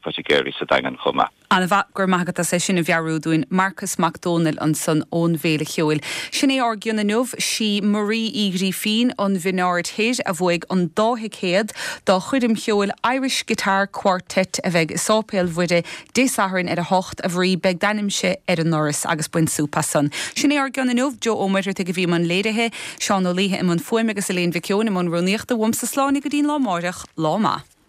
Speaker 7: poitigéirí sa Daingean chomh maith.
Speaker 1: An-mhaith, go raibh maith agat as é sin a mheabhrú dúinn. Marcas Mac Dónaill ansan ón bhFéile Cheoil. Sin é ár gcion inniu. Sí Marie Uí Ghrífín ón Bhinn Aird Thoir a bhuaigh an dá thicéad dá choirm cheoil Irish Guitar Quartet a bheidh i Sáipéal Mhuire Dé Sathairn ar a hocht. A Mharie, beidh d'ainmse ar an ndoras agus bain súp as san. Sin é ár gcion inniu. Joe Ó Muircheartaigh a bhí i mbun léirithe, Seán Ó Laoithe i mbun fuaime agus Elaine Mhic Eoin i mbun rúnaíochta. Uaimse slán go dtí'n lá amáireach. Lá maith.